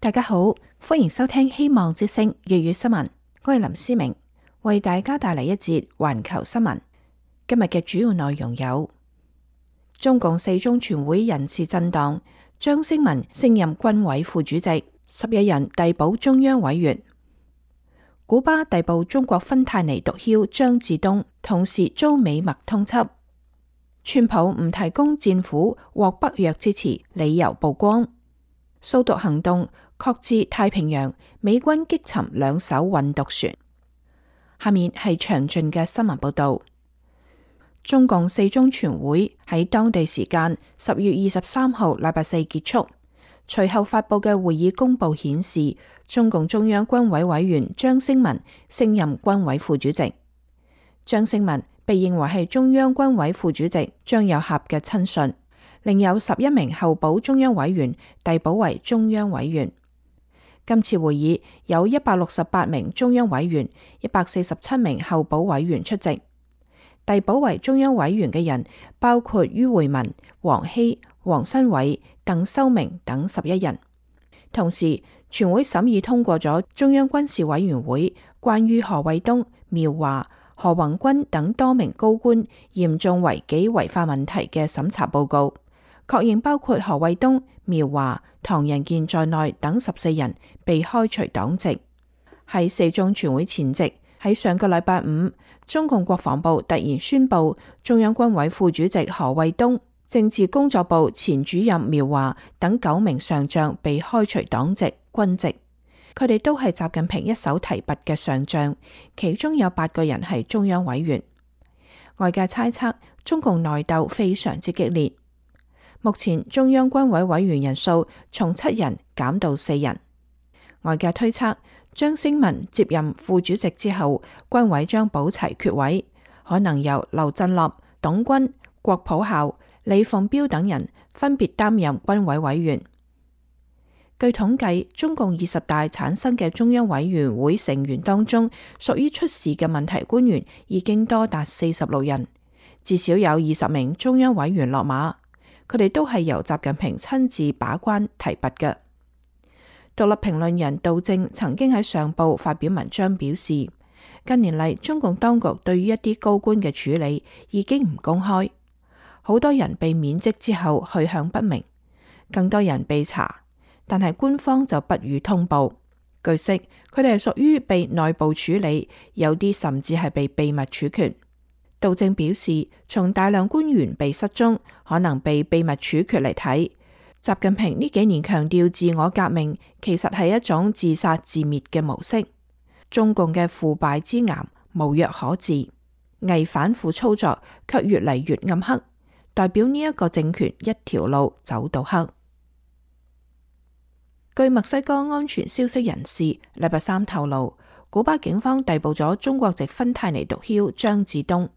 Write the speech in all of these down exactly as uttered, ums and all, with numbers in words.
大家好，歡迎收聽希望之聲粵語新聞，我係林思明，為大家帶嚟一節環球新聞。今日嘅主要內容有：中共四中全會人事震盪，張星文升任軍委副主席，十一人遞補中央委員；古巴逮捕中國芬太尼毒梟張志東，同時遭美墨通緝；川普唔提供戰斧獲北約支持，理由曝光；掃毒行動確至太平洋，美軍擊沉兩艘運毒船。下面係詳盡嘅新聞報道。中共四中全會喺當地時間十月二十三號禮拜四結束，隨後發佈嘅會議公報顯示，中共中央軍委委員張星文升任軍委副主席。張星文被認為係中央軍委副主席張又俠嘅親信，另有十一名候補中央委員遞補為中央委員。今次會議有一百六十八名中央委員、一百四十七名候補委員出席。遞補為中央委員嘅人包括于會民、王希、王新偉、鄧修明等十一人。同時，全會審議通過咗中央軍事委員會關於何衛東、苗華、何宏軍等多名高官嚴重違紀違法問題嘅審查報告，確認包括何衛東、苗華、唐人健在內等十四人被開除黨籍。喺四中全會前夕，喺上個禮拜五，中共國防部突然宣布，中央軍委副主席何衛東、政治工作部前主任苗華等九名上將被開除黨籍、軍籍。佢哋都係習近平一手提拔嘅上將，其中有八個人係中央委員。外界猜測，中共內鬥非常之激烈。目前中央軍委委員人數從七人減到四人。外界推測，張星文接任副主席之後，軍委將補齊缺位，可能由劉振立、董軍、郭普孝、李鳳彪等人分別擔任軍委委員。據統計，中共二十大產生嘅中央委員會成員當中，屬於出事嘅問題官員已經多達四十六人，至少有二十名中央委員落馬。佢哋都係由習近平親自把關提拔嘅。獨立評論人杜正曾經喺上報發表文章表示，近年嚟中共當局對於一啲高官嘅處理已經唔公開，好多人被免職之後去向不明，更多人被查，但係官方就不予通報。據悉，佢哋係屬於被內部處理，有啲甚至係被秘密處決。杜正表示，從大量官員被失蹤，可能被秘密處決嚟睇，習近平呢幾年強調自我革命，其實係一種自殺自滅嘅模式。中共嘅腐敗之癌無藥可治，偽反腐操作卻越嚟越暗黑，代表呢一個政權一條路走到黑。據墨西哥安全消息人士禮拜三透露，古巴警方逮捕咗中國籍芬太尼毒梟張志東。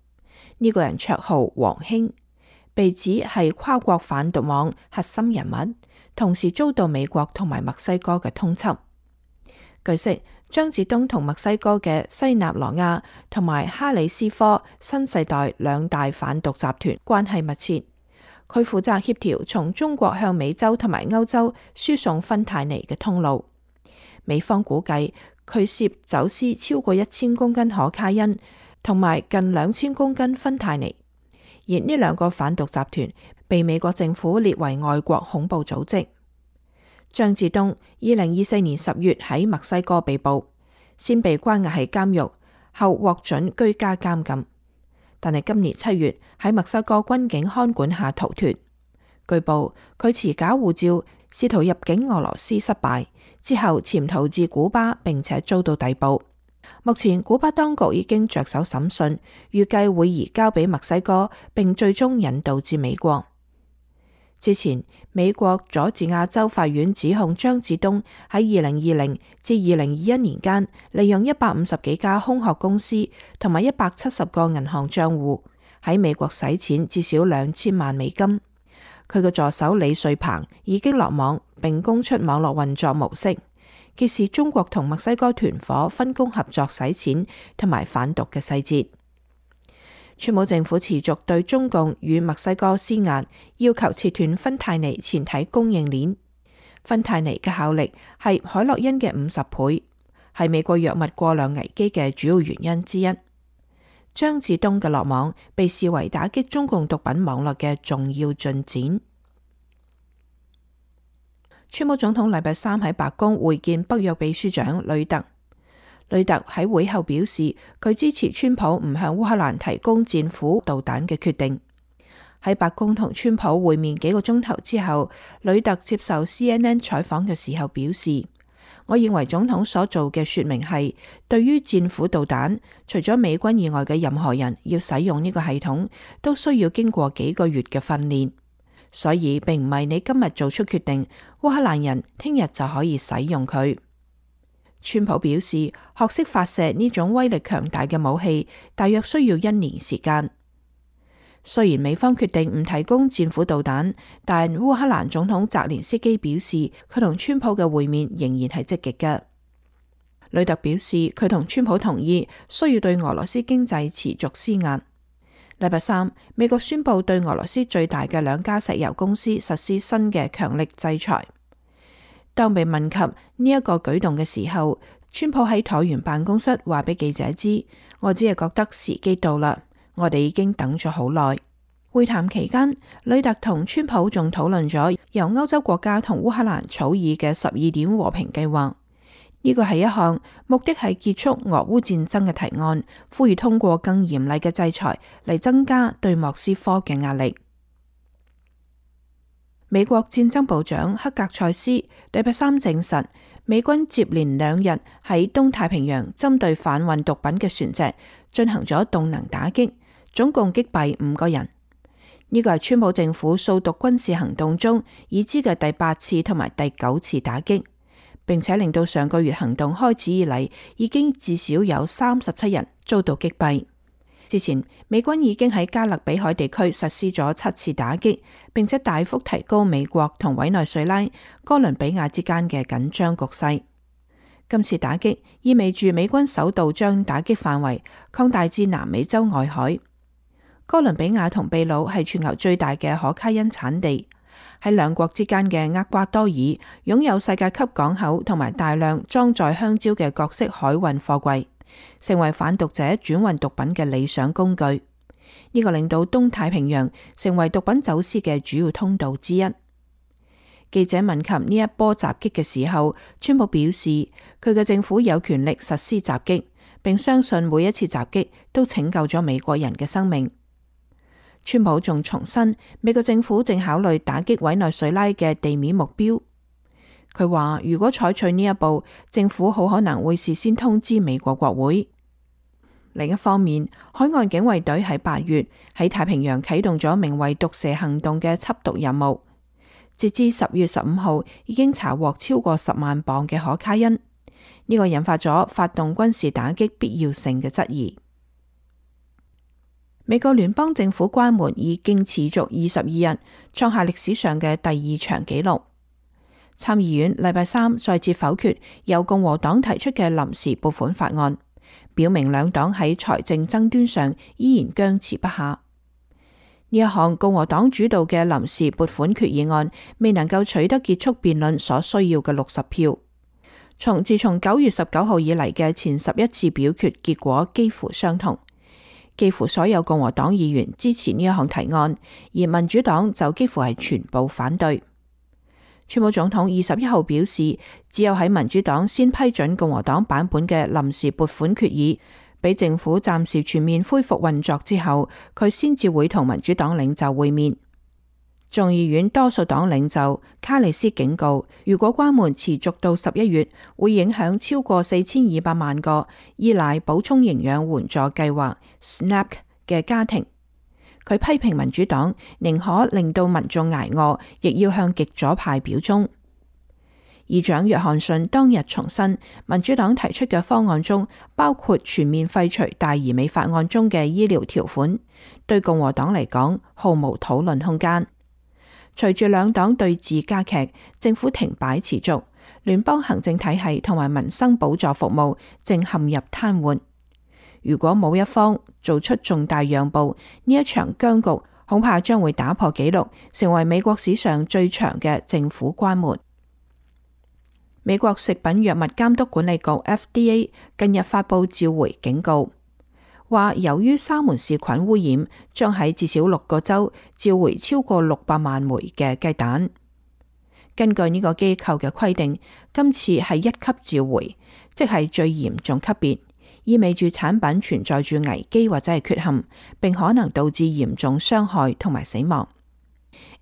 呢個人綽號王興，被指係跨國販毒網核心人物，同時遭到美國同埋墨西哥嘅通緝。據悉，張志東同墨西哥嘅西納羅亞同埋哈里斯科新世代兩大販毒集團關係密切，佢負責協調從中國向美洲同埋歐洲輸送芬太尼嘅通路。美方估計佢涉走私超過一千公斤可卡因，同埋近兩千公斤芬太尼，而呢兩個販毒集團被美國政府列為外國恐怖組織。張志東二零二四年十月喺墨西哥被捕，先被關押喺監獄，後獲准居家監禁，但係今年七月喺墨西哥軍警看管下逃脫。據報佢持假護照試圖入境俄羅斯失敗，之後潛逃至古巴，並且遭到逮捕。目前古巴當局已經着手審訊，預計會移交俾墨西哥，並最終引渡至美國。之前美國佐治亞州法院指控張志東喺二零二零至二零二一年間，利用一百五十幾家空殼公司同埋一百七十個銀行賬戶喺美國洗錢至少兩千萬美金。佢嘅助手李瑞鵬已經落網，並供出網絡運作模式，揭示中國同墨西哥團夥分工合作洗錢同埋販毒嘅細節。川普政府持續對中共與墨西哥施壓，要求切斷芬太尼前體供應鏈。芬太尼嘅效力係海洛因嘅五十倍，係美國藥物過量危機嘅主要原因之一。張志東嘅落網被視為打擊中共毒品網絡嘅重要進展。川普總統禮拜三喺白宮會見北約秘書長呂特。呂特喺會後表示，佢支持川普唔向烏克蘭提供戰斧導彈嘅決定。喺白宮同川普會面幾個鐘頭之後，呂特接受 C N N 採訪嘅時候表示，我認為總統所做嘅說明係，對於戰斧導彈，除咗美軍以外嘅任何人要使用呢個系統，都需要經過幾個月嘅訓練，所以並唔係你今日做出決定，烏克蘭人聽日就可以使用佢。川普表示，學識發射呢種威力強大嘅武器，大約需要一年時間。雖然美方決定唔提供戰斧導彈，但烏克蘭總統澤連斯基表示，佢同川普嘅會面仍然係積極嘅。呂特表示，佢同川普同意需要對俄羅斯經濟持續施壓。禮拜三，美國宣布對俄羅斯最大嘅兩家石油公司實施新嘅強力制裁。當被問及呢一個舉動嘅時候，川普喺橢圓辦公室話俾記者知，我只係覺得時機到啦，我哋已經等咗好耐。會談期間，呂特同川普仲討論咗由歐洲國家同烏克蘭草擬嘅十二點和平計劃。呢個係一項目的係結束俄烏戰爭嘅提案，呼籲通過更嚴厲嘅制裁嚟增加對莫斯科嘅壓力。美國戰爭部長克格塞斯禮拜三證實，美軍接連兩日喺東太平洋針對販運毒品嘅船隻進行咗動能打擊，總共擊斃五個人。呢個係川普政府掃毒軍事行動中已知嘅第八次同埋第九次打擊，並且令到上個月行動開始以嚟，已經至少有三十七人遭到擊斃。之前，美軍已經喺加勒比海地區實施咗七次打擊，並且大幅提高美國同委內瑞拉、哥倫比亞之間嘅緊張局勢。今次打擊意味住美軍首度將打擊範圍擴大至南美洲外海。哥倫比亞同秘魯係全球最大嘅可卡因產地，喺兩國之間嘅厄瓜多爾擁有世界級港口同埋大量裝載香蕉嘅各式海運貨櫃，成為販毒者轉運毒品嘅理想工具。呢、這個令到東太平洋成為毒品走私嘅主要通道之一。記者問及呢一波襲擊嘅時候，川普表示佢嘅政府有權力實施襲擊，並相信每一次襲擊都拯救咗美國人嘅生命。川普仲重申，美國政府正考慮打擊委內瑞拉嘅地面目標。佢話如果採取呢一步，政府好可能會事先通知美國國會。另一方面，海岸警衛隊喺八月喺太平洋啟動咗名為毒蛇行動嘅緝毒任務，截至十月十五號已經查獲超過十萬磅嘅可卡因。呢、這個引發咗發動軍事打擊必要性嘅質疑。美國聯邦政府關門已經持續二十二日，創下歷史上嘅第二長紀錄。參議院禮拜三再次否決由共和黨提出嘅臨時撥款法案，表明兩黨喺財政爭端上依然僵持不下。呢一項共和黨主導嘅臨時撥款決議案未能夠取得結束辯論所需要嘅六十票。從自從九月十九號以嚟嘅前十一次表決結果幾乎相同。幾乎所有共和黨議員支持呢一項提案，而民主黨就幾乎係全部反對。川普總統二十一號表示，只有喺民主黨先批准共和黨版本嘅臨時撥款決議，俾政府暫時全面恢復運作之後，佢先至會同民主黨領袖會面。眾議院多數黨領袖卡里斯警告，如果關門持續到十一月，會影響超過四千二百萬個依賴補充營養援助計劃 S N A P 嘅家庭。佢批評民主黨寧可令到民眾捱餓，亦要向極左派表忠。議長約翰遜當日重申，民主黨提出嘅方案中包括全面廢除大而美法案中嘅醫療條款，對共和黨嚟講毫無討論空間。隨住兩黨對峙加劇，政府停擺持續，聯邦行政體系同埋民生補助服務正陷入癱瘓。如果冇一方做出重大讓步，呢一場僵局恐怕將會打破紀錄，成為美國史上最長嘅政府關門。美國食品藥物監督管理局 F D A 近日發布召回警告，話由於沙門氏菌污染，將喺至少六個州召回超過六百萬枚嘅雞蛋。根據呢個機構嘅規定，今次係一級召回，即係最嚴重級別，意味住產品存在住危機或者係缺陷，並可能導致嚴重傷害同埋死亡。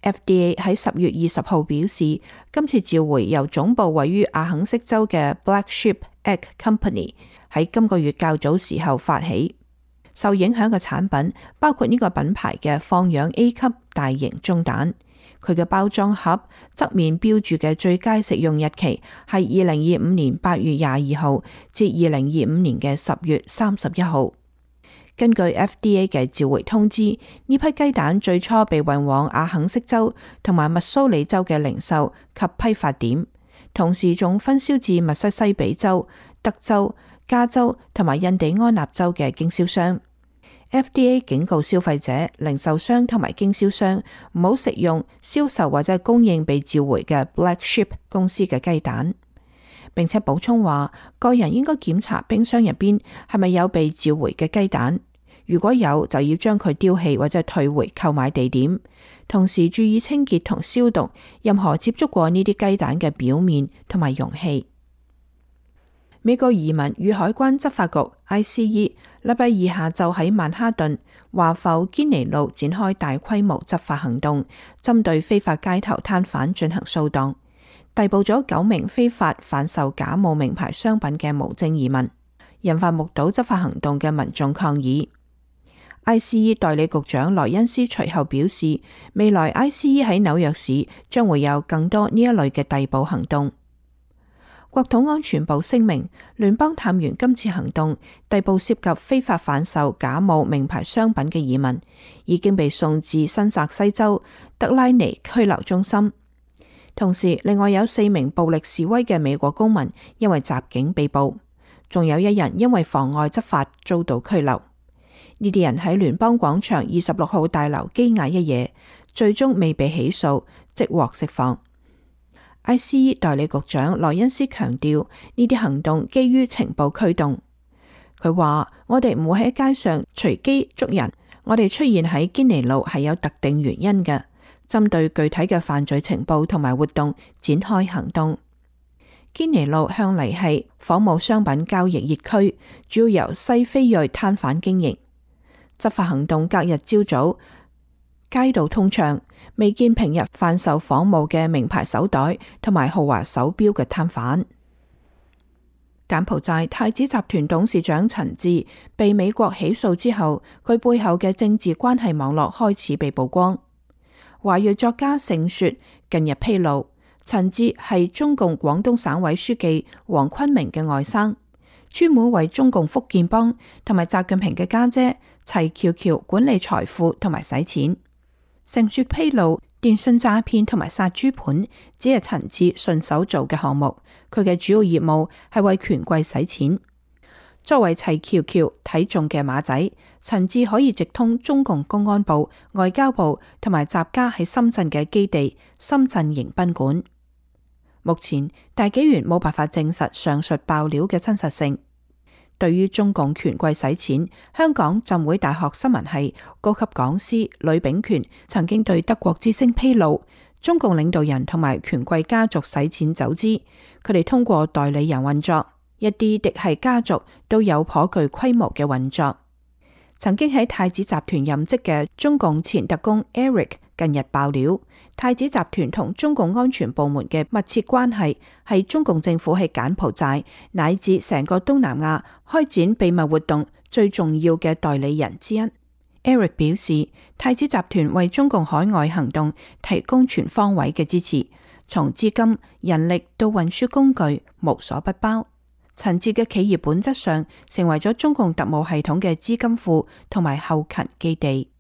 F D A 喺十月二十號表示，今次召回由總部位於阿肯色州嘅 Black Sheep Egg Company 喺今個月較早時候發起。受影響嘅產品包括呢個品牌嘅放養 A 級大型中蛋，佢嘅包裝盒側面標注嘅最佳食用日期係二零二五年八月廿二號至二零二五年嘅十月三十一號。根據 F D A 嘅召回通知，呢批雞蛋最初被運往阿肯色州同埋密蘇里州嘅零售及批發點，同時仲分銷至密西西比州、德州、加州同埋印第安納州嘅經銷商。F D A 警告消費者、零售商同埋經銷商唔好食用、銷售或者供應被召回嘅 Black Sheep 公司嘅雞蛋，並且補充話，個人應該檢查冰箱入邊係咪有被召回嘅雞蛋，如果有就要將佢丟棄或者退回購買地點，同時注意清潔同消毒任何接觸過呢啲雞蛋嘅表面同埋容器。美國移民與海關執法局 I C E 禮拜二下晝喺曼哈頓華埠堅尼路展開大規模執法行動，針對非法街頭攤販進行掃蕩，逮捕咗九名非法販售假冒名牌商品嘅無證移民，引發目睹執法行動嘅民眾抗議。I C E 代理局長萊恩斯隨後表示，未來 I C E 喺紐約市將會有更多呢一類嘅逮捕行動。國土安全部聲明，聯邦探員今次行動逮捕涉及非法販售假冒名牌商品嘅移民，已經被送至新澤西州德拉尼拘留中心。同時，另外有四名暴力示威嘅美國公民因為襲警被捕，仲有一人因為妨礙執法遭到拘留。呢啲人喺聯邦廣場二十六號大樓羈押一夜，最終未被起訴，即獲釋放。I C E 代理局長萊恩斯強調，呢啲行動基於情報驅動。佢話：我哋唔會喺街上隨機捉人，我哋出現喺堅尼路係有特定原因嘅，針對具體嘅犯罪情報同埋活動展開行動。堅尼路向嚟係仿冒商品交易熱區，主要由西非裔攤販經營。執法行動隔日朝早，街道通暢，未見平日販售仿冒嘅名牌手袋同埋豪華手錶嘅攤販。柬埔寨太子集團董事長陳志被美國起訴之後，佢背後嘅政治關係網絡開始被曝光。華裔作家盛雪近日披露，陳志係中共廣東省委書記黃坤明嘅外甥，專門為中共福建幫同埋習近平嘅家姐齊喬喬管理財富同埋洗錢。盛雪披露，電信詐騙同埋殺豬盤只係陳志順手做嘅項目，佢嘅主要業務係為權貴洗錢。作為齊喬喬睇中嘅馬仔，陳志可以直通中共公安部、外交部同埋習家喺深圳嘅基地深圳迎賓館。目前大紀元冇辦法證實上述爆料嘅真實性。對於中共權貴洗錢，香港浸會大學新聞系高級講師呂秉權曾經對德國之聲披露，中共領導人同埋權貴家族洗錢走資，佢哋通過代理人運作，一啲嫡系家族都有頗具規模嘅運作。曾經喺太子集團任職嘅中共前特工 Eric 近日爆料，太子集團同中共安全部門嘅密切關係係中共政府喺柬埔寨乃至成個東南亞開展秘密活動最重要嘅代理人之一。Eric 表示，太子集團為中共海外行動提供全方位嘅支持，從資金、人力到運輸工具，無所不包。陳志嘅企業本質上成為咗中共特務系統嘅資金庫同埋後勤基地。